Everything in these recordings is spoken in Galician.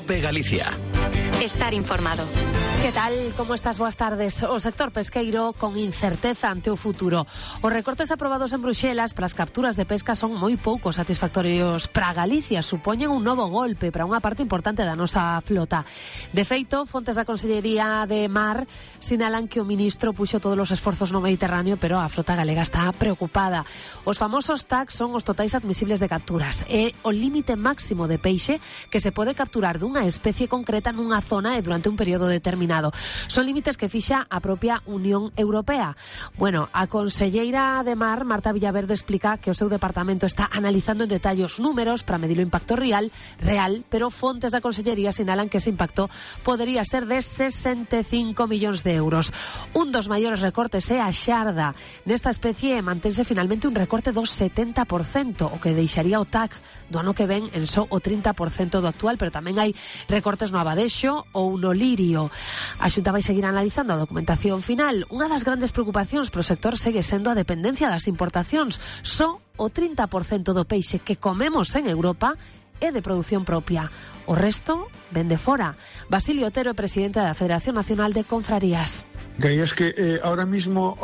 COPE Galicia. Estar informado. Que tal? Como estás? Boas tardes. O sector pesqueiro con incerteza ante o futuro. Os recortes aprobados en Bruxelas para as capturas de pesca son moi pouco satisfactorios para Galicia. Supoñen un novo golpe para unha parte importante da nosa flota. De feito, fontes da Consellería de Mar sinalan que o ministro puxo todos os esforzos no Mediterráneo, pero a flota galega está preocupada. Os famosos TAC son os totais admisibles de capturas. É o límite máximo de peixe que se pode capturar dunha especie concreta nunha zona e durante un período determinado. Son límites que fixa a propia Unión Europea. Bueno, a conselleira de Mar, Marta Villaverde, explica que o seu departamento está analizando en detalle os números para medir o impacto real, pero fontes da consellería sinalan que ese impacto podería ser de 65 millóns de euros. Un dos maiores recortes é a xarda. Nesta especie mantense finalmente un recorte do 70%, o que deixaría o TAC do ano que ven en só o 30% do actual, pero tamén hai recortes no abadexo ou no lirio. A Xunta vai seguir analizando a documentación final. Unha das grandes preocupacións pro sector segue sendo a dependencia das importacións. Só o 30% do peixe que comemos en Europa é de produción propia. O resto ven de fora. Basilio Otero é presidente da Federación Nacional de Confrarías. Que es que ahora mismo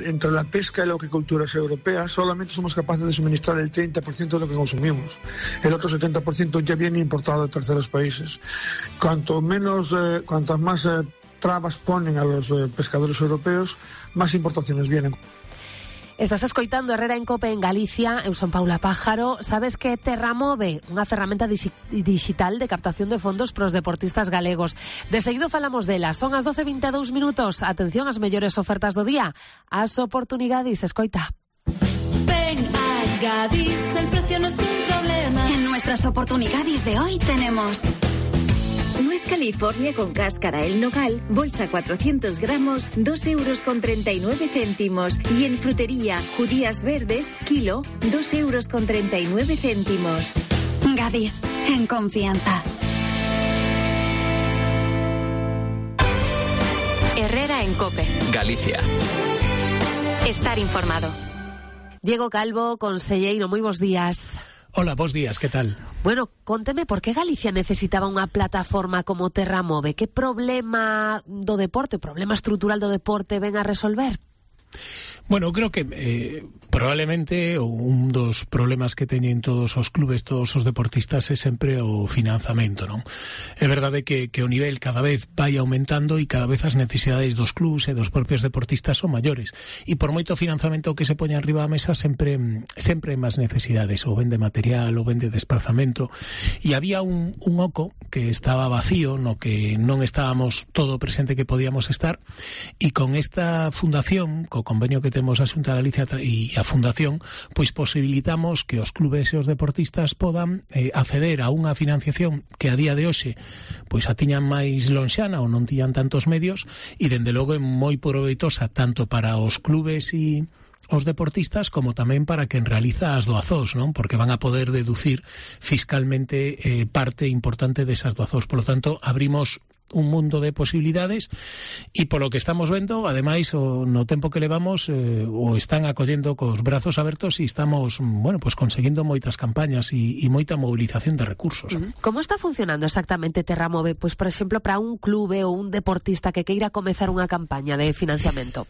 entre la pesca y la acuicultura europeas solamente somos capaces de suministrar el 30% de lo que consumimos. El otro 70% ya viene importado de terceros países. Cuantas más trabas ponen a los pescadores europeos, más importaciones vienen. Estás escoitando Herrera en COPE en Galicia. Eu son Paula Pájaro. Sabes que Terramove, unha ferramenta digital de captación de fondos para os deportistas galegos. De seguido falamos dela. Son as 12:22 minutos. Atención ás mellores ofertas do día. As oportunidades, escoita. Ven a Gadis, el precio no es un problema. En nuestras oportunidades de hoy tenemos Nuez California con cáscara el nogal, bolsa 400 gramos, 2,39 €. Y en frutería, judías verdes, kilo, 2,39 €. Gadis, en confianza. Herrera en COPE Galicia. Estar informado. Diego Calvo, conselleiro, moi bons días. Hola, bons días, que tal? Bueno, conteme, por que Galicia necesitaba unha plataforma como Terramove? Que problema do deporte, problema estrutural do deporte ven a resolver? Bueno, creo que probablemente un dos problemas que teñen todos os clubes, todos os deportistas é sempre o financiamento, non? É verdade que o nivel cada vez vai aumentando e cada vez as necesidades dos clubes e dos propios deportistas son maiores. E por moito financiamento que se poña arriba a mesa sempre hai máis necesidades, ou ben de material, ou ben de desplazamento. E había un oco que estaba vacío, no que non estábamos todo presente que podíamos estar, e con esta fundación, co convenio que temos a Xunta de Galicia e a Fundación, pois posibilitamos que os clubes e os deportistas podan acceder a unha financiación que a día de hoxe pois a tiñan máis lonxana ou non tiñan tantos medios, e dende logo é moi proveitosa tanto para os clubes e os deportistas como tamén para quen realiza as doazós, non? Porque van a poder deducir fiscalmente parte importante desas doazós. Por lo tanto, abrimos un mundo de posibilidades e polo que estamos vendo, ademais, no tempo que levamos, o están acollendo cos brazos abertos e estamos, bueno, pues conseguindo moitas campañas e moita movilización de recursos. Como está funcionando exactamente Terramove? Pois, por exemplo, para un clube ou un deportista que queira comezar unha campaña de financiamento.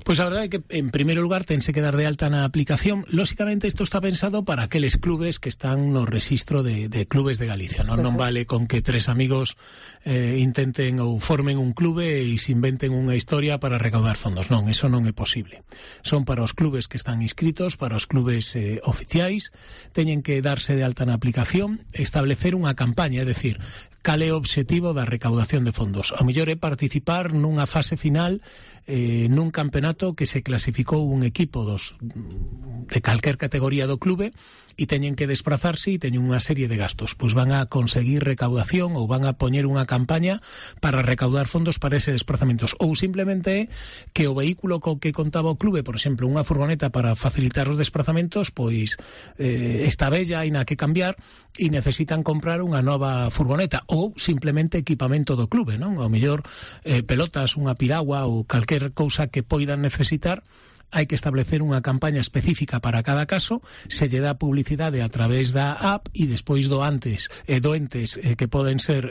Pois a verdade é que, en primeiro lugar, tense que dar de alta na aplicación. Lóxicamente, isto está pensado para aqueles clubes que están no rexistro de clubes de Galicia. Non vale con que tres amigos intenten ou formen un clube e se inventen unha historia para recaudar fondos. Non, eso non é posible. Son para os clubes que están inscritos, para os clubes oficiais. Teñen que darse de alta na aplicación, establecer unha campaña, é dicir, cal é o obxectivo da recaudación de fondos. O mellor é participar nunha fase final nun campeonato que se clasificou un equipo de calquer categoría do clube e teñen que desplazarse e teñen unha serie de gastos. Pois van a conseguir recaudación ou van a poñer unha campaña para recaudar fondos para ese desplazamentos. Ou simplemente que o vehículo co que contaba o clube, por exemplo, unha furgoneta para facilitar os desplazamentos, pois está bella, hai na que cambiar e necesitan comprar unha nova furgoneta ou simplemente equipamento do clube, non? Ao mellor pelotas, unha piragua ou calquer cousa que poidan necesitar hai que establecer unha campaña específica para cada caso, se lle dá publicidade a través da app e despois doentes que poden ser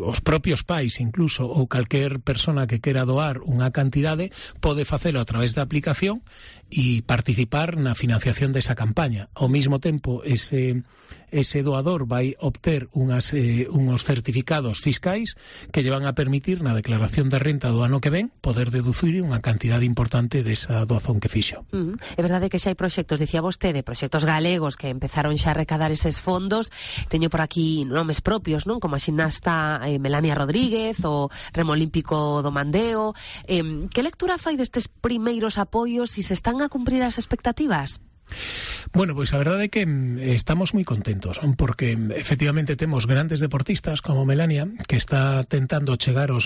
os propios pais incluso ou calquer persona que quera doar unha cantidade pode facelo a través da aplicación e participar na financiación desa campaña. Ao mesmo tempo, ese doador vai obter unos certificados fiscais que lle van a permitir na declaración de renta do ano que ven poder deducir unha cantidade importante desa doazón que fixo. É verdade que xa hai proxectos, dicía vostede, proxectos galegos que empezaron xa a recadar eses fondos. Teño por aquí nomes propios, non? Como a ximnasta Melania Rodríguez, o remo olímpico do Mandeo. Que lectura fai destes primeiros apoios e se están a cumprir as expectativas? Bueno, pois a verdade é que estamos moi contentos, porque efectivamente temos grandes deportistas como Melania, que está tentando chegar aos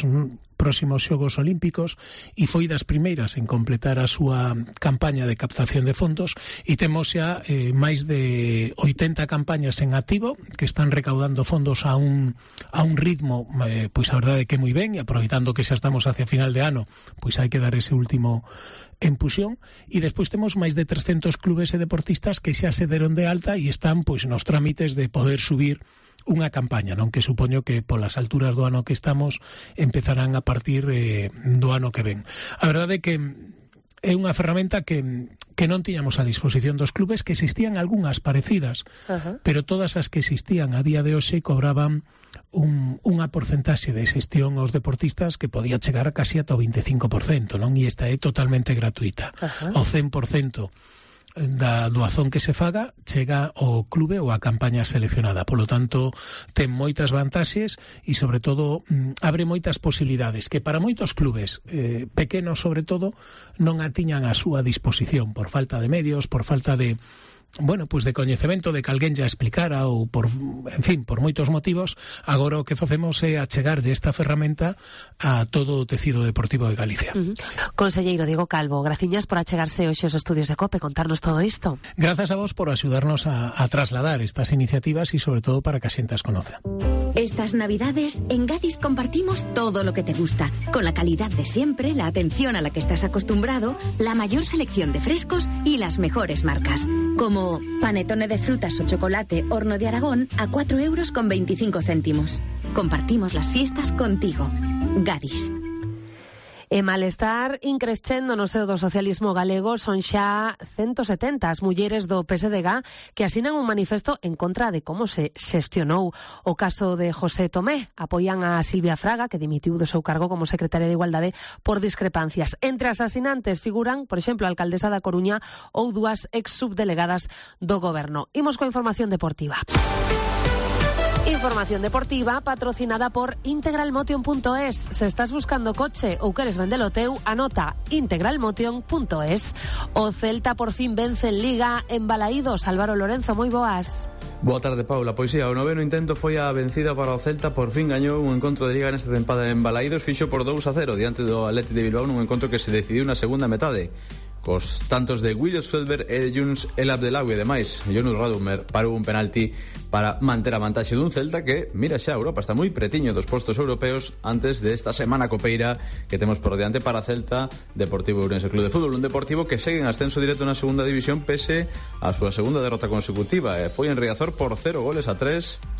próximos Xogos Olímpicos e foi das primeiras en completar a súa campaña de captación de fondos, e temos xa máis de 80 campañas en activo que están recaudando fondos a un ritmo, pois a verdade é que moi ben, e aproveitando que xa estamos hacia final de ano, pois hai que dar ese último empuxón, e despois temos máis de 300 clubes e deportistas que xa se deron de alta e están pois nos trámites de poder subir unha campaña, non, que supoño que polas alturas do ano que estamos empezarán a partir do ano que ven. A verdade é que é unha ferramenta que non tiñamos a disposición dos clubes, que existían algunhas parecidas, pero todas as que existían a día de hoxe cobraban unha porcentaxe de xestión aos deportistas que podía chegar a casi ata o 25%, non? E esta é totalmente gratuita. O 100% da doazón que se faga chega ao clube ou á campaña seleccionada. Polo tanto, ten moitas vantaxes e, sobre todo, abre moitas posibilidades que para moitos clubes, pequenos sobre todo, non a tiñan a súa disposición por falta de medios, por falta de pues de coñecemento, de que alguén ya explicara ou por moitos motivos. Agora o que facemos é achegarlle esta ferramenta a todo o tecido deportivo de Galicia. Conselleiro Diego Calvo, graciñas por achegarse hoxe aos estudios de COPE, contarnos todo isto. Grazas a vos por axudarnos a trasladar estas iniciativas e sobre todo para que a xente as conoza. Estas Navidades en Gadis compartimos todo lo que te gusta, con la calidad de siempre, la atención a la que estás acostumbrado, la mayor selección de frescos y las mejores marcas, como panetone de frutas o chocolate Horno de Aragón a 4,25 €. Compartimos las fiestas contigo. Gadis. E malestar increscendo no seo do socialismo galego. Son xa 170 as mulleres do PSDG que asinan un manifesto en contra de como se xestionou o caso de José Tomé. Apoian a Silvia Fraga, que dimitiu do seu cargo como secretaria de Igualdade por discrepancias. Entre as asinantes figuran, por exemplo, a alcaldesa da Coruña ou dúas ex-subdelegadas do goberno. Imos coa información deportiva. Información deportiva patrocinada por integralmotion.es. Se estás buscando coche ou queres vendelo teu, anota integralmotion.es. O Celta por fin vence en Liga en Balaídos. Álvaro Lorenzo, moi boas. Boa tarde, Paula. Pois o noveno intento foi a vencida para o Celta. Por fin gañou un encontro de Liga nesta tempada en Balaídos. Fixo por 2-0 diante do Athletic de Bilbao nun encontro que se decidiu na segunda metade, cos tantos de Williams Felber e de Yunus El Abdelawi. Ademais, Yunus Radumer parou un penalti para manter a vantaxe dun Celta que mira xa a Europa, está moi pretiño dos postos europeos antes desta semana copeira que temos por diante para Celta, Deportivo Ourense Club de Fútbol, un Deportivo que segue en ascenso directo na segunda división pese a súa segunda derrota consecutiva. Foi en Riazor por 0-3,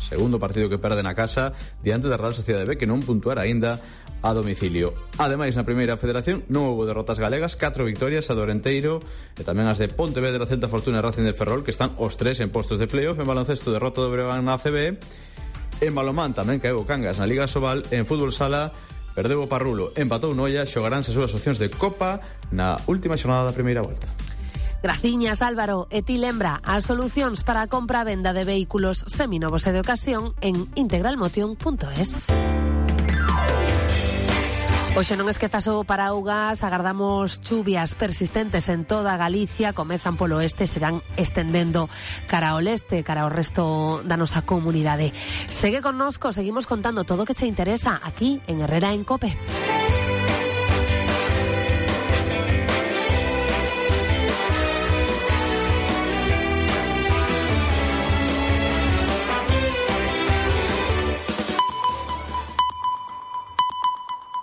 segundo partido que perde na casa diante da Real Sociedade B, que non puntuara aínda a domicilio. Ademais, na primeira federación non houbo derrotas galegas, 4 victorias a Dorenteiro e tamén as de Pontevedra, Celta, Fortuna e Racing de Ferrol, que están os tres en postos de playoff. En baloncesto, derrota do Breogán na ACB. En balonmán tamén caeu o Cangas na Liga Sobal. En fútbol sala perdeu o Parrulo, empatou Noia. Xogaránse as súas opcións de Copa na última xornada da primeira volta. Graciñas, Álvaro. E ti lembra as solucións para a compra e venda de vehículos seminovos e de ocasión en integralmotion.es. Hoxe non esquezas o paraugas, agardamos chuvias persistentes en toda Galicia, comezan polo oeste, serán estendendo cara ao leste, cara ao resto da nosa comunidade. Segue connosco, seguimos contando todo o que che interesa aquí en Herrera en COPE.